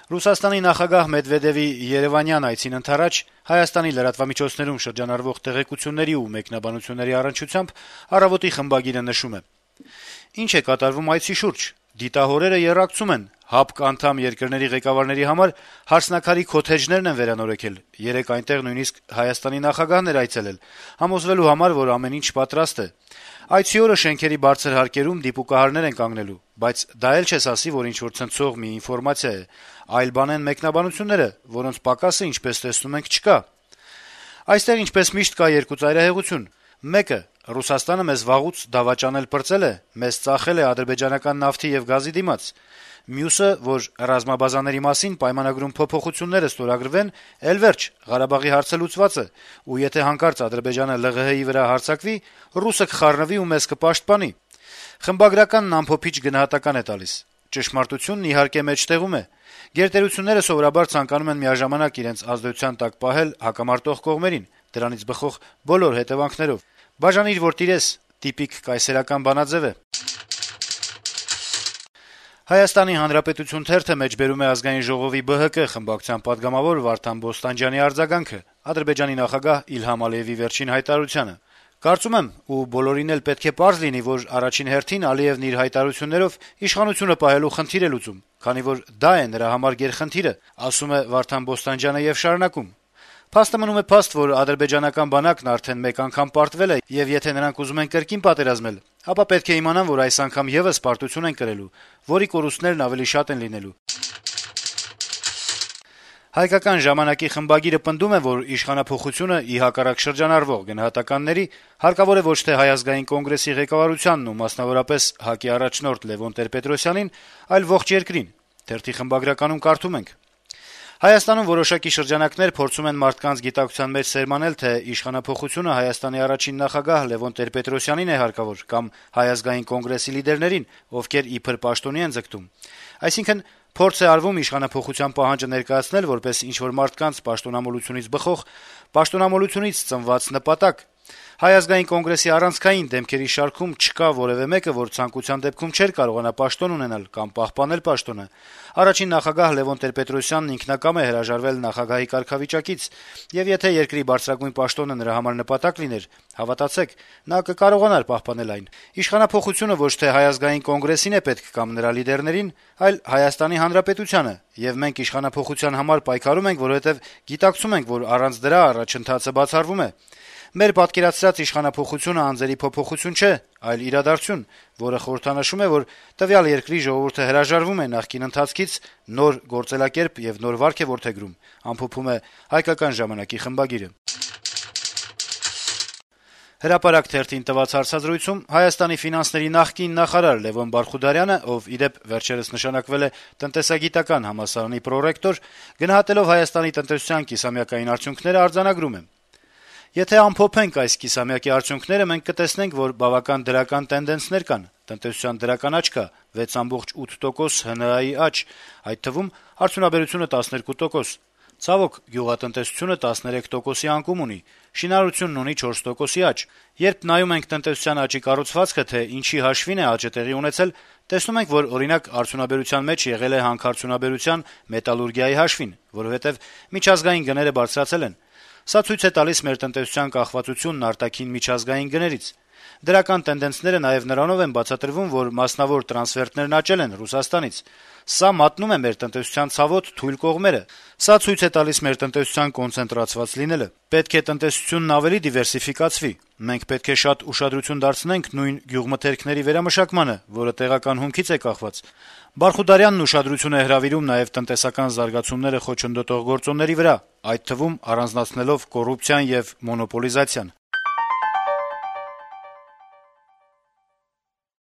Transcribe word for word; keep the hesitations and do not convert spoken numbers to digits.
Ռուսաստանի նախագահ Մեդվեդեւի Երեւանյան այցին ընդառաջ Հայաստանի լրատվամիջոցներում շրջանառվող տեղեկությունների ու մեկնաբանությունների առնչությամբ «Առավոտ»-ի խմբագիրը նշում է. - «Ինչ է կատարվում այցի շուրջ: Դիտահորերը եռակցում են, ՀԱՊԿ անդամ երկրների ղեկավարների համար «հարսնաքարի քոթեջներն» են վերանորոգել, երեկ այնտեղ նույնիսկ Հայաստանի նախագահն էր այցելել, համոզվելու համար, որ ամեն ինչ պատրաստ է: Այցի օրը շենքերի բարձր հարկերում դիպուկահարներ են կանգնելու, բայց դա էլ չես ասի, որ ինչ-որ ցնցող մի ինֆորմացիա է, այլ բան են մեկնաբանությունները, որոնց պակասը, ինչպես տեսնում ենք, չկա: Այստեղ, ինչպես միշտ, կա երկու ծայրահեղություն: Մեկը` Ռուսաստանը մեզ վաղուց դավաճանել-պրծել է, մեզ ծախել է ադրբեջանական նավթի եւ գազի դիմաց: Մյուսը, որ ռազմաբազաների մասին պայմանագրում փոփոխությունները ստորագրվեն, էլ վերջ, Ղարաբաղի հարցը լուծված է, ու եթե հանկարծ Ադրբեջանը ԼՂՀ-ի վրա հարձակվի, ռուսը կխառնվի ու մեզ կպաշտպանի»: Խմբագրականն ամփոփիչ գնահատական է տալիս. - «Ճշմարտությունն իհարկե մեջտեղում է: Գերտերությունները սովորաբար ցանկանում են միաժամանակ իրենց ազդեցության տակ պահել հակամարտող կողմերին, դրանից բխող բոլոր հետեւանքներով: «Բաժանիր, որ տիրես» տիպիկ կայսերական բանաձեւ է»: «Հայաստանի Հանրապետություն» թերթը մեջբերում է Ազգային ժողովի ԲՀԿ խմբակցության պատգամավոր Վարդան Բոստանջյանի արձագանքը Ադրբեջանի նախագահ Իլհամ Ալիեւի վերջին հայտարարությանը. - «Կարծում եմ, ու բոլորին էլ պետք է պարզ լինի, որ առաջին հերթին Ալիեւն իր հայտարարություններով իշխանությունը պահելու խնդիր է լուծում, քանի որ դա է նրա համար գերխնդիրը», - ասում է Վարդան Բոստանջյանը եւ շարունակում. - «Փաստը մնում է փաստ, որ ադրբեջանական բանակն արդեն մեկ անգամ պարտվել է, եւ եթե նրանք ուզում են կրկին պատերազմել, ապա պետք է իմանան, որ այս անգամ եւս պարտություն են կրելու, որի կորուստներն ավելի շատ են լինելու»: «Հայկական ժամանակ»-ի խմբագիրը պնդում է, որ իշխանափոխությունը, ի հակառակ շրջանառվող գնահատականների, հարկավոր է ոչ թե Հայ ազգային կոնգրեսի ղեկավարությանն ու մասնավորապես ՀԱԿ-ի առաջնորդ Լեւոն Տեր-Պետրոսյանին, այլ ողջ երկրին: Թերթի խմբագրականում կարդում ենք. - «Հայաստանում որոշակի շրջանակներ փորձում են մարդկանց գիտակցության մեջ սերմանել, թե իշխանափոխությունը Հայաստանի առաջին նախագահ Լեւոն Տեր-Պետրոսյանին է հարկավոր կամ Հայ ազգային կոնգրեսի լիդերներին, ովքեր իբր պաշտոնի են ձգտում: Այսինքն` փորձ է արվում իշխանափոխության պահանջը ներկայացնել որպես ինչ-որ մարդկանց պաշտոնամոլությունից բխող, պաշտոնամոլությունից ծնված նպատակ: Հայ ազգային կոնգրեսի առանցքային դեմքերի շարքում չկա որեւէ մեկը, որ ցանկության դեպքում չէր կարողանա պաշտոն ունենալ կամ պահպանել պաշտոնը: Առաջին նախագահ Լեւոն Տեր-Պետրոսյանն ինքնակամ է հրաժարվել նախագահի կարգավիճակից, եւ եթե երկրի բարձրագույն պաշտոնը նրա համար նպատակ լիներ, հավատացեք, նա կկարողանար պահպանել այն: Իշխանափոխությունը ոչ թե Հայ ազգային կոնգրեսին է պետք կամ նրա լիդերներին, այլ Հայաստանի Հանրապետությանը, եւ մենք իշխանափոխության համար պայքարում ենք, որովհետեւ գիտակցում ենք, որ առանց դրա առաջընթացը բացառվում է: Մեր պատկերացրած իշխանափոխությունը անձերի փոփոխություն չէ, այլ իրադարձություն, որը խորհրդանշում է, որ տվյալ երկրի ժողովուրդը հրաժարվում է նախկին ընթացքից, նոր գործելակերպ եւ նոր վարք է որդեգրում», - ամփոփում է «Հայկական ժամանակ»-ի խմբագիրը: «Հրապարակ» թերթին տված հարցազրույցում Հայաստանի ֆինանսների նախկին նախարար Լեւոն Բարխուդարյանը, ով, ի դեպ, վերջերս նշանակվել է տնտեսագիտական համալսարանի պրոռեկտոր, գնահատելով Հայաստանի տնտեսության կիսամյակային արդյունքները, արձանագրում է. - «Եթե ամփոփենք այս կիսամյակի արդյունքները, մենք կտեսնենք, որ բավական դրական տենդենսներ կան. տնտեսության դրական աճ կա` վեց կoma ութ տոկոս, ՀՆԱ-ի աճ, այդ թվում արդյունաբերությունը տասներկու տոկոս: Ցավոք, գյուղատնտեսությունը տասներեք տոկոսի անկում ունի, շինարարությունն ունի չորս տոկոսի աճ: Երբ նայում ենք տնտեսության աճի կառուցվածքը, թե ինչի հաշվին է աճը տեղի ունեցել, տեսնում ենք, որ, օրինակ, արդյունաբերության մեջ եղել է հանքարդյունաբերության, մետալուրգիայի հաշվին, որովհետեւ միջազգային գները բարձրացել են: Սա ցույց է տալիս մեր տնտեսության կախվածությունն արտաքին միջազգային գներից: Դրական տենդենսները նաեւ նրանով են բացատրվում, որ մասնավոր տրանսֆերտներն աճել են Ռուսաստանից: Սա մատնում է մեր տնտեսության ցավոտ, թույլ կողմերը: Սա ցույց է տալիս մեր տնտեսության կոնցենտրացված լինելը: Պետք է տնտեսությունն ավելի դիվերսիֆիկացվի: Մենք պետք է շատ ուշադրություն դարձնենք նույն գյուղմթերքների վերամշակմանը, որը տեղական հումքից է կախված»: Բարխուդարյանն ուշադրություն է հրավիրում նաեւ տնտեսական զարգացումները խոչընդոտող գործոնների վրա, այդ թվում առանձնացնելով կոռուպցիան եւ մոնոպոլիզացիան: